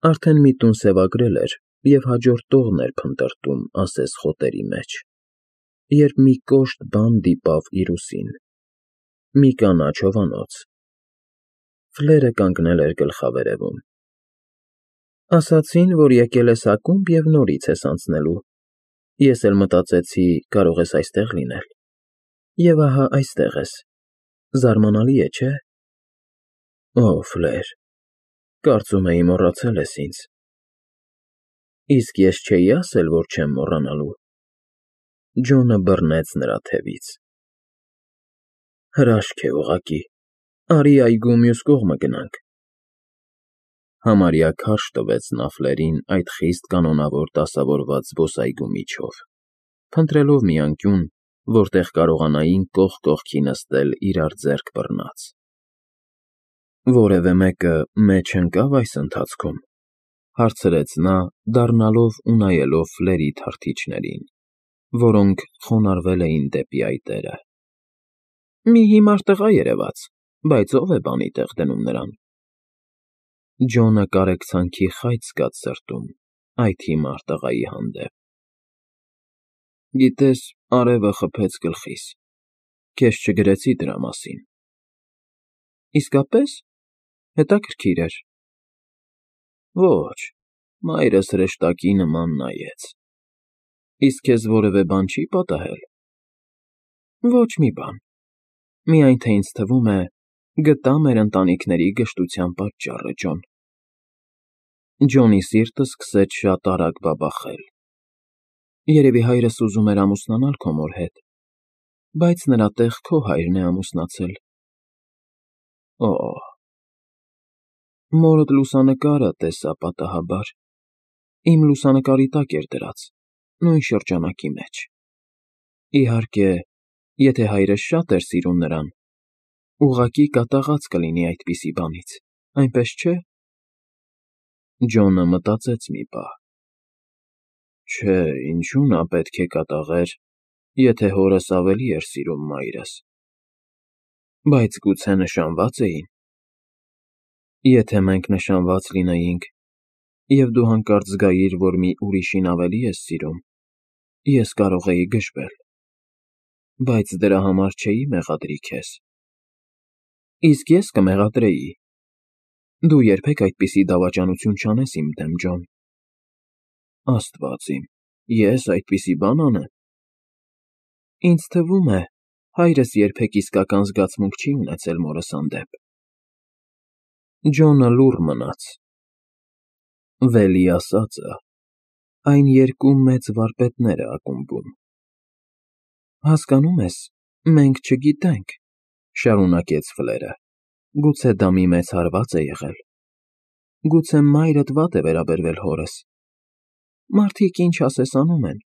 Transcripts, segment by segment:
Արդեն մի տուն սևագրել էր և հաջորդ տողն էր փնտրտում ասես խոտերի մեջ, երբ մի կոշտ բան դիպավ իր ուսին, մի կանաչ հովանոց. Ֆլերը կանգնել էր գլխավերևում։ Ասացին, որ եկել ես ակումբ և նորից ես անցնելու, ես էլ մտածեցի, կարող ես այստեղ լինել, և ահա այստեղ ես, զարմանալի է, չէ՞։ Օ, Ֆլեր, կարծում էի մոռացել ես ինձ։ Իսկ ես չէի ասել, որ չեմ մոռանալու։ Ջոնը բռնեց նրա թևից։ Հրաշք է ուղղակի, արի այգու մյուս կողմը գնանք։ Համարյա քարշ տվեց նա Ֆլերին այդ խիստ կանոնավոր դասավորված զբոսայգու միջով, փնտրելով մի անկյուն, որտեղ կարողանային կողք կողքի նստել իրար ձեռք բռնած։ Որևէ մեկը մեջ ընկա՞վ այս ընթացքում, հարցրեց նա, դառնալով ու նայելով Ֆլերի թռթիչներին, որոնք խոնարհվել էին դեպի այտերը։ Մի հիմար տղա երևաց, բայց ո՞վ է բանի տեղ դնում նրան։ Ջոնը կարեկցանքի խայծ զգաց սրտում այդ հիմար տղայի հանդեպ։ Գիտես, արևը խփեց գլխիս, քեզ չգրեցի դրա մասին։ Իսկապե՞ս, հետաքրքիր էր։ Ոչ, մայրս հրեշտակի նման նայեց։ Իսկ քեզ որևէ բան չի պատահել։ Ոչ մի բան, միայն թե ինձ թվում է, գտա մեր ընտանիքների գժտության պատճառը, Ջոն։ Ջոնի սիրտը սկսեց շատ արագ բաբախել։ Երևի հայրս ուզում էր ամուսնանալ քո մոր հետ, բայց նրա տեղ քո հայրն է ամուսնացել։ Օ, մորդ լուսանկարը տեսա պատահաբար, իմ լուսանկարի տակ էր դրած, նույն շրջանակի մեջ։ Իհարկե, եթե հայրս շատ էր սիրում նրան, ուղղակի կատաղած կլինի այդպիսի բանից, այնպես չէ՞։ Ջոնը մտածեց մի պահ։ Չէ, ինչու նա պետք է կատաղեր, եթե հորս ավելի էր սիրում մայրս։ Բայց գուցե նշանվա՞ծ էին։ Եթե մենք նշանված լինեինք, և դու հանկարծ զգայիր, որ մի ուրիշին ավելի ես սիրում, ես կարող էի գժվել, բայց դրա համար չէի մեղադրի քեզ։ Իսկ ես կմեղադրեի։ Դու երբեք այդպիսի դավաճանություն չանես իմ դեմ, Ջոն։ Աստված իմ, ես այդպիսի բան անեմ։ Ինձ թվում է, հայրս երբեք իսկական զգացմունք չի ունեցել մորս հանդեպ։ Ջոնը լուռ մնաց։ Վելի ասածը, այն երկու մեծ վարպետները ակումբում։ Հասկանում ես, մենք չգիտենք, շարունակեց Ֆլերը, գուցե դա մի մեծ հարված է եղել։ Գուցե մայրդ վատ է վերաբերվել հորս։ Մարդիկ ինչ ասես անում են։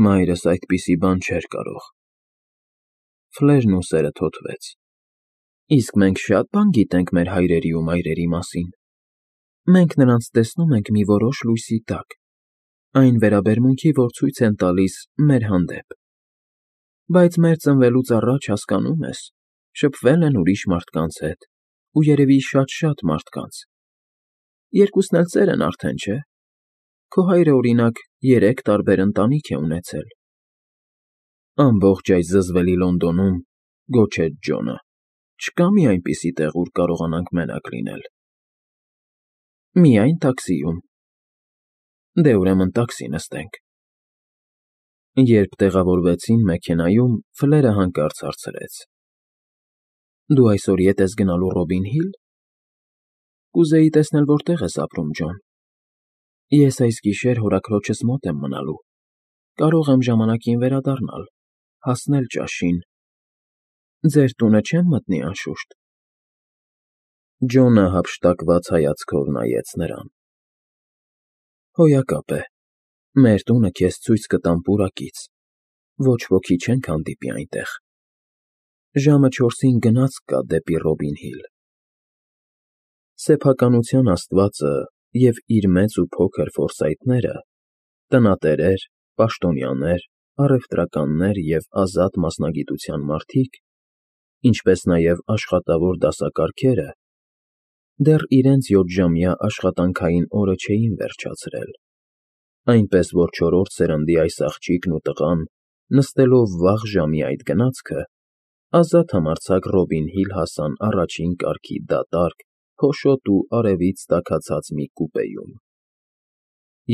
Մայրս այդպիսի բան չէր կարող։ Ֆլերն ուսերը թոթվեց։ Իսկ մենք շատ բան գիտենք մեր հայրերի ու մայրերի մասին։ Մենք նրանց տեսնում ենք մի որոշ լույսի տակ, այն վերաբերմունքի, որ ցույց են տալիս մեր հանդեպ։ Բայց մեր ծնվելուց առաջ, հասկանում ես, շփվել են ուրիշ մարդկանց հետ, ու երևի շատ մարդկանց։ Երկուսն էլ ծեր են արդեն, չէ՞։ Քո հայրը, օրինակ, 3 տարբեր ընտանիք է ունեցել։ Ամբողջ այս զզվելի Լոնդոնում, գոչեց Ջոնը, չկա մի այնպիսի տեղ, ուր կարողանանք մենակ լինել։ Միայն տաքսիում։ Դե ուրեմն տաքսի նստենք։ Երբ տեղավորվեցին մեքենայում, Ֆլերը հանկարծ հարցրեց. Դու այսօր ետ ես գնալու Ռոբին Հիլ։ Կուզեի տեսնել, որտեղ ես ապրում, Ջոն։ Ես այս գիշեր հորաքրոջս մոտ եմ մնալու։ Կարող եմ ժամանակին վերադառնալ, հասնել ճաշին։ Ձեր տունը չեմ մտնի, անշուշտ։ Ջոնը հափշտակված հայացքով նայեց նրան։ Հոյակապ է, մեր տունը քեզ ցույց կտամ պուրակից, ոչ ոքի չենք հանդիպի այնտեղ։ Ժամը 4-ին գնացք կա դեպի Ռոբին Հիլ։ Սեփականության աստվածը և իր մեծ ու փոքր ֆորսայթները, տնատերեր, պաշտոնյաներ, առևտրականներ և ազատ մասնագիտության մարդիկ, ինչպես նաև աշխատավոր դասակարգերը, դեռ իրենց 7-ժամյա աշխատանքային օրը չէին վերջացրել, այնպես որ 4-րդ սերնդի այս աղջիկն ու տղան, նստելով վաղ ժամի այդ գնացքը, ազատ համարձակ Ռոբին Հիլ հասան առաջին կարգի դատարկ, փոշոտ ու արևից տաքացած մի կուպեում։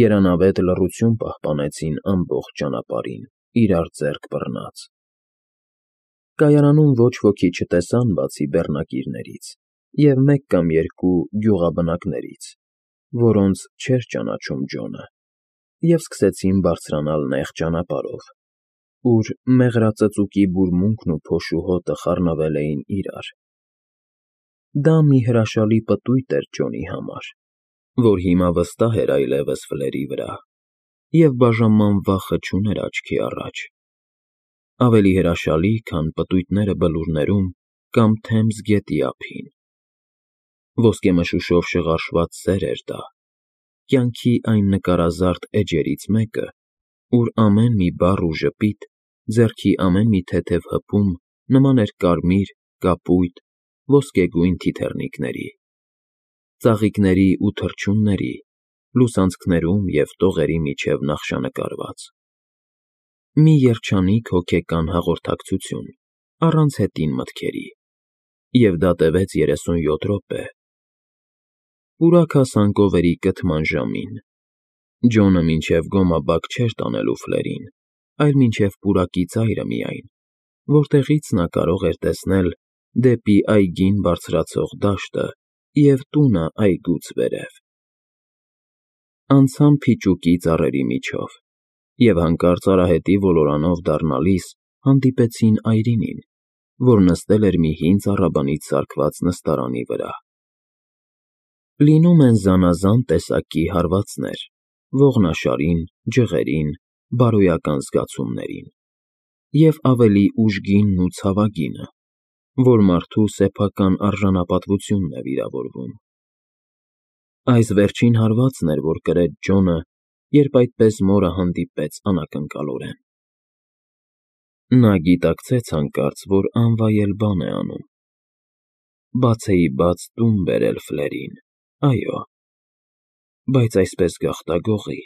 Երանավետ լռություն պահպանեցին ամբողջ ճանապարհին, իրար ձեռք բռնած։ Կայարանում ոչ ոքի չտեսան բացի բեռնակիրներից և մեկ կամ երկու գյուղաբնակներից, որոնց չէր ճանաչում Ջոնը, և սկսեցին բարձրանալ նեղ ճանապարհով, ուր մեղրածծուկի բուրմունքն ու փոշու հոտը խառնվել էին իրար։ Դա մի հրաշալի պտույտ էր Ջոնի համար, որ հիմա վստահ էր այլևս Ֆլերի վրա և բաժանման վախը չուներ աչքի առաջ, ավելի հրաշալի, քան պտույտները բլուրներում կամ Թեմզ գետի ափին։ Ոսկեմշուշով շղարշված սեր էր դա, կյանքի այն նկարազարդ էջերից մեկը, ուր ամեն մի բառ ու ժպիտ, ձեռքի ամեն մի թեթև հպում նման էր կարմիր, կապույտ, ոսկեգույն թիթեռնիկների, ծաղիկների ու թռչունների, լուսանցքներում և տողերի միջև նախշանկարված։ Մի երջանիկ հոգեկան հաղորդակցություն, առանց հետին մտքերի, և դա տևեց 37 րոպե։ Պուրակ հասան կովերի կթման ժամին։ Ջոնը մինչև գոմաբակ չէր տանելու Ֆլերին, այլ մինչև պուրակի ծայրը միայն, որտեղից նա կարող էր տեսնել դեպի այգին բարձրացող դաշտը և տունը այգուց վերև։ Անցան փիճուկի ծառերի միջով և հանկարծ արահետի ոլորանով դառնալիս հանդիպեցին այրինին, որ նստել էր մի հին ծառաբանից սարքված նստարանի վրա։ Լինում են զանազան տեսակի հարվածներ՝ ողնաշարին, ջղերին, բարոյական զգացումներին, և ավելի ուժգինն ու ցավագինը, որ մարդու սեփական արժանապատվությունն է վիրավորվում։ Այս վերջին հարվածն էր, որ կրեց Ջոնը, երբ այդպես մորը հանդիպեց անակնկալորեն։ Նա գիտակցեց հանկարծ, որ անվայել բան է անում։ Բացեիբաց տուն բերել Ֆլերին, այո, բայց այսպես գաղտագողի։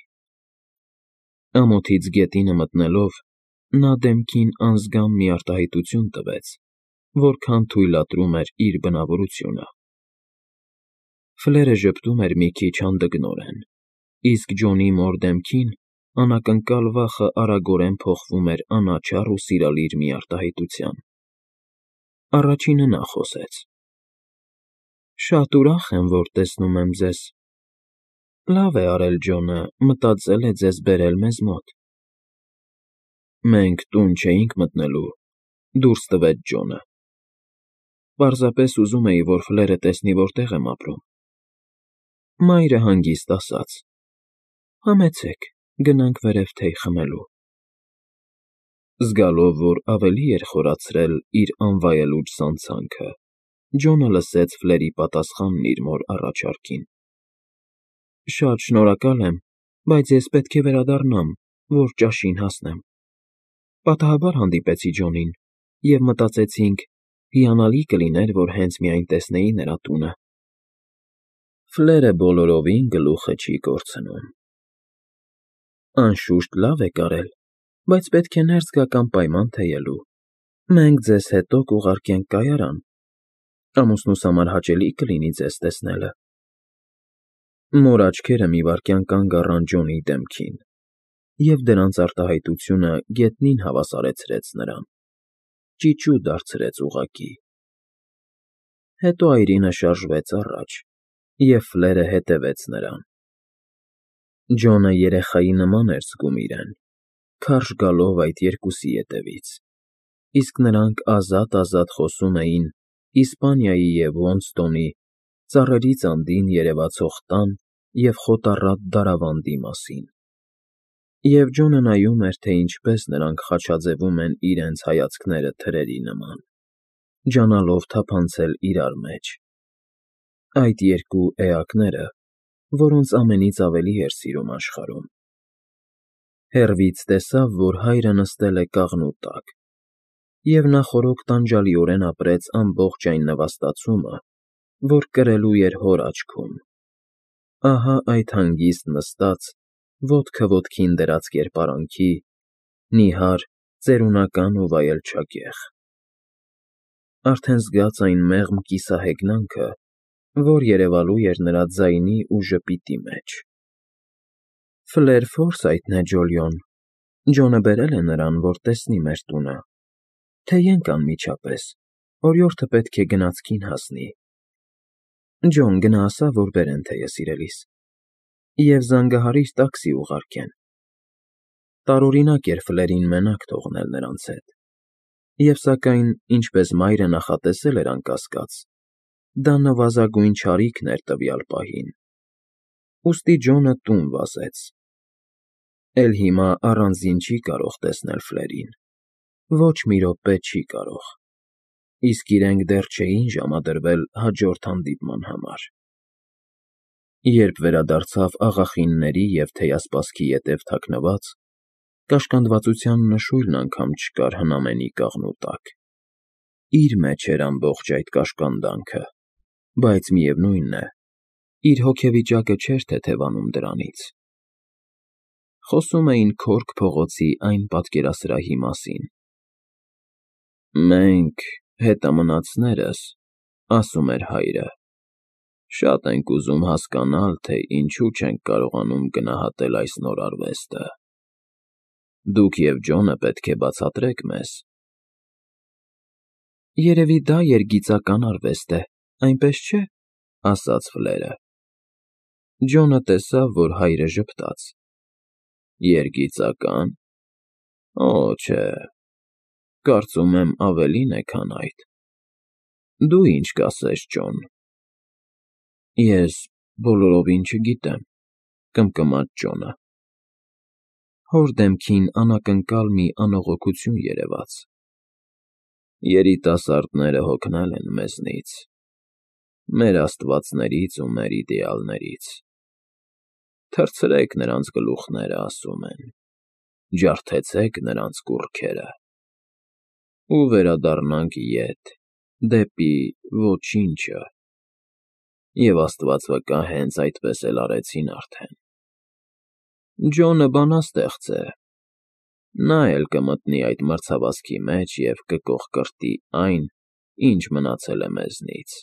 Ամոթից գետինը մտնելով՝ նա դեմքին անզգամ մի արտահայտություն տվեց, որքան թույլատրում էր իր բնավորությունը։ Ֆլերը ժպտում էր մի քիչ հանդգնորեն, իսկ Ջոնի մոր դեմքին անակնկալ վախը արագորեն փոխվում էր անաչառ ու սիրալիր մի արտահայտության։ Առաջինը նա խոսեց. «Շատ ուրախ եմ, որ տեսնում եմ ձեզ։ Լավ է արել Ջոնը, մտածել է ձեզ բերել մեզ մոտ»։ Մենք տուն չէինք մտնելու, դուրս տվեց Ջոնը։ Պարզապես ուզում էի, որ Ֆլերը տեսնի որտեղ եմ ապրում։ Մայրը հանգիստ ասաց. «Համեցեք, գնանք վերև թեյ խմելու»։ Զգալով, որ ավելի էր խորացրել իր անվայելուչ սանցանքը, Ջոնը լսեց Ֆլերի պատասխանն իր մոր առաջարկին։ «Շատ շնորհակալ եմ, բայց ես պետք է վերադառնամ, որ ճաշին հասնեմ։ Պատահաբար հանդիպեցի Ջոնին, և մտածեցինք՝ հիանալի կլիներ, որ հենց միայն տեսնեի նրա տունը»։ Ֆլերը բոլորովին գլուխը չի կորցնում։ Անշուշտ լավ եք արել, բայց պետք է ներս գաք անպայման թեյելու։ Մենք ձեզ հետո կուղարկենք կայարան։ Ամուսնուս համար հաճելի կլինի ձեզ տեսնելը։ Մոր աչքերը մի վայրկյան կանգ առան Ջոնի դեմքին, և դրանց արտահայտությունը գետնին հավասարեցրեց նրան, ճիճու դարձրեց ուղղակի։ Հետո այրինը շարժվեց առաջ, և Ֆլերը հետևեց նրան։ Ջոնը երեխայի նման էր զգում իրեն, քարշ գալով այդ երկուսի ետևից, իսկ նրանք ազատ խոսում էին Իսպանիայի և Ոնստոնի, ծառերից անդին երևացող տան և խոտառատ դարավանդի մասին։ Եվ Ջոնը նայում էր, թե ինչպես նրանք խաչաձևում են իրենց հայացքները թրերի նման, ջանալով թափանցել իրար մեջ։ Այդ երկու էակները, որոնց ամենից ավելի էր սիրում աշխարհում։ Հեռվից տեսավ, որ հայրը նստել է կաղնու տակ, և նա խորոք տանջալիորեն ապրեց ամբողջ այն նվաստացումը, որ կրելու էր հոր աչքում։ Ահա այդ հանգիստ նստած, ոտքը ոտքին դրած կերպարանքի, նիհար, ծերունական ու վայելչագեղ։ Արդեն զգաց այն մեղմ կիսահեգնանքը, որ երևալու էր նրա ձայնի ու ժպիտի մեջ։ Ֆլեր Ֆորսայթն է, Ջոլիոն, Ջոնը բերել է նրան, որ տեսնի մեր տունը, թեյենք անմիջապես, օրիորդը պետք է գնացքին հասնի։ Ջոն, գնա ասա, որ բերեն թեյը, սիրելիս, և զանգահարիր տաքսի ուղարկեն։ Տարօրինակ էր Ֆլերին մենակ թողնել նրանց հետ, և սակայն, ինչպես մայրը նախատեսել էր անկասկած, դա նվազագույն չարիքն էր տվյալ պահին։ Ուստի Ջոնը տուն վազեց։ Էլ հիմա առանձին չի կարող տեսնել Ֆլերին, ոչ մի րոպե չի կարող, իսկ իրենք դեռ չէին ժամադրվել հաջորդ հանդիպման համար։ Երբ վերադարձավ աղախինների և թեյասպասքի ետև թաքնված, կաշկանդվածության նշույլն անգամ չկար հնամենի կաղնու տակ։ Իր մեջ էր ամբողջ այդ կաշկանդանքը, բայց միևնույն է, իր հոգեվիճակը չէր թեթևանում դրանից։ Խոսում էին Քորք փողոցի այն պատկերասրահի մասին։ «Մենք, հետամնացներս, — ասում էր հայրը, — շատ ենք ուզում հասկանալ, թե ինչու չենք կարողանում գնահատել այս նոր արվեստը։ Դուք և Ջոնը պետք է բացատրեք մեզ»։ «Երևի դա երգիծական արվեստ է, այնպես չէ՞, ֊ ասաց Ֆլերը։ Ջոնը տեսավ, որ հայրը ժպտաց։ Երգիծակա՞ն։ Օ, չէ, կարծում եմ ավելին է, քան այդ։ Դու ինչ կասես, Ջոն։ Ես բոլորովին չգիտեմ, ֊ կմկմաց Ջոնը։ Հոր դեմքին անակնկալ մի անողոքություն երևաց։ Երիտասարդները հոգնել են մեզնից, մեր աստվածներից ու մեր իդեալներից։ Թռցրեք նրանց գլուխները, ասում են, ջարդեցեք նրանց կուռքերը, ու վերադառնանք ետ, դեպի ոչինչը։ Եվ Աստված վկա, հենց այդպես էլ արեցին արդեն։ Ջոնը բանաստեղծ է, նա էլ կմտնի այդ մրցավազքի մեջ և կկոխկրտի այն, ինչ մնացել է մեզնից.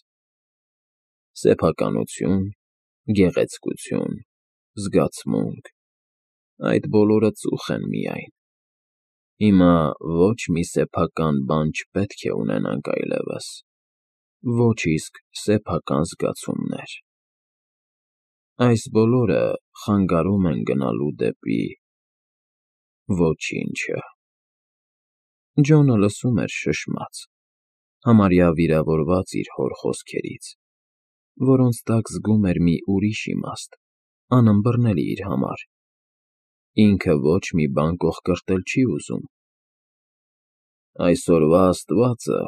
սեփականություն, գեղեցկություն, զգացմունք, այդ բոլորը ծուխ են միայն։ Հիմա ոչ մի սեփական բան չպետք է ունենանք այլևս, ոչ իսկ սեփական զգացումներ։ Այս բոլորը խանգարում են գնալու դեպի ոչինչը։ Ջոնը լսում էր շշմած, համարյա վիրավորված իր հոր խոսքերից, որոնց տակ զգում էր մի ուրիշ իմաստ, անըմբռնելի իր համար։ Ինքը ոչ մի բան կոխկրտել չի ուզում։ Այսօրվա աստվածը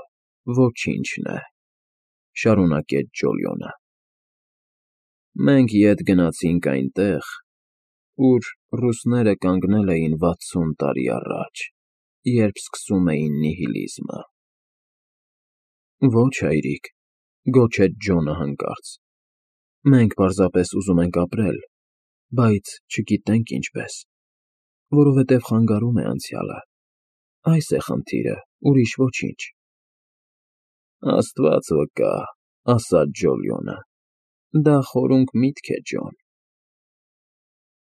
ոչինչն է, ֊ շարունակեց Ջոլիոնը։ Մենք ետ գնացինք այնտեղ, ուր ռուսները կանգնել էին 60 տարի առաջ, երբ սկսում էին նիհիլիզմը։ Ոչ, հայրիկ, ֊ գոչեց Ջոնը հանկարծ, մենք պարզապես ուզում ենք ապրել, բայց չգիտենք ինչպես, որովհետև խանգարում է անցյալը։ Այս է խնդիրը, ուրիշ ոչինչ։ Աստված վկա, ֊ ասաց Ջոլիոնը, ֊ դա խորունկ միտք է, Ջոն։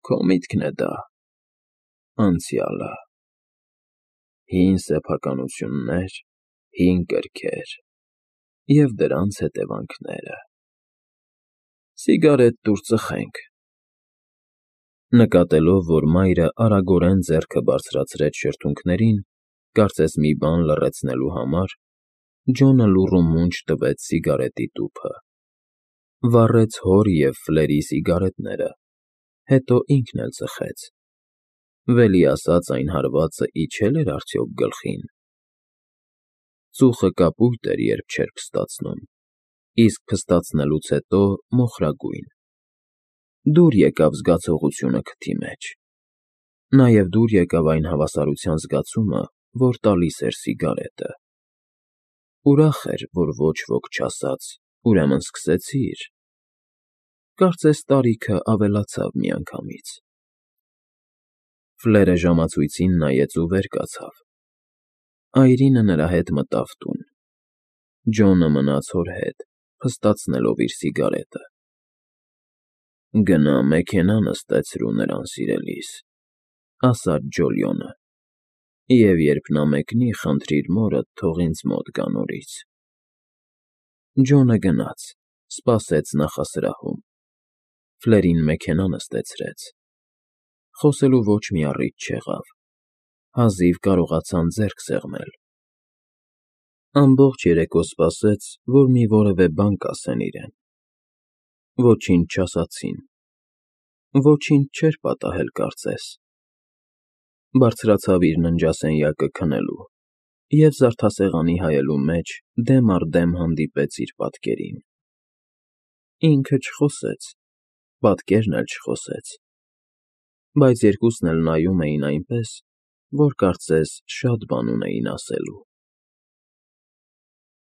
Քո միտքն է դա, անցյալը։ Հին սեփականություններ, հին կրքեր և դրանց հետևանքները։ Սիգարետ տուր ծխենք։ Նկատելով, որ մայրը արագորեն ձեռքը բարձրացրեց շրթունքներին, կարծես մի բան լռեցնելու համար, Ջոնը լուռ ու մունջ տվեց սիգարետի տուփը, վառեց հոր և Ֆլերի սիգարետները, հետո ինքն էլ ծխեց։ Վելի ասած այն հարվածը իջե՞լ էր արդյոք գլխին։ Ծուխը կապույտ էր, երբ չէր փստացնում, իսկ փստացնելուց հետո մոխրագույն։ Դուր եկավ զգացողությունը քթի մեջ։ Նաև դուր եկավ այն հավասարության զգացումը, որ տալիս էր սիգարետը։ Ուրախ էր, որ ոչ ոք չասաց, Ուրեմն սկսեցիր։ Կարծես տարիքը ավելացավ միանգամից։ Ֆլերը ժամացույցին նայեց ու վեր կացավ։ Այրինը նրա հետ մտավ տուն։ Ջոնը մնաց հոր հետ, փստացնելով իր սիգարետը։ «Գնա մեքենա նստեցրու նրան, սիրելիս», ասաց Ջոլիոնը, «և երբ նա մեկնի, խնդրիր մորդ, թող ինձ մոտ գա նորից»։ Ջոնը գնաց, սպասեց նախասրահում։ Ֆլերին մեքենա նստեցրեց։ Խոսելու ոչ մի առիթ չեղավ։ Հազիվ կարողացան ձեռք սեղմել։ Ամբողջ երեկո սպասեց, որ մի որևէ բան կասեն իրեն։ Ոչինչ չասացին։ Ոչինչ չէր պատահել, կարծես։ Բարձրացավ իր ննջասենյակը քնելու և զարդասեղանի հայելու մեջ դեմ առ դեմ հանդիպեց իր պատկերին։ Ինքը չխոսեց, պատկերն էլ չխոսեց, բայց երկուսն էլ նայում էին այնպես, որ կարծես շատ բան ունեին ասելու։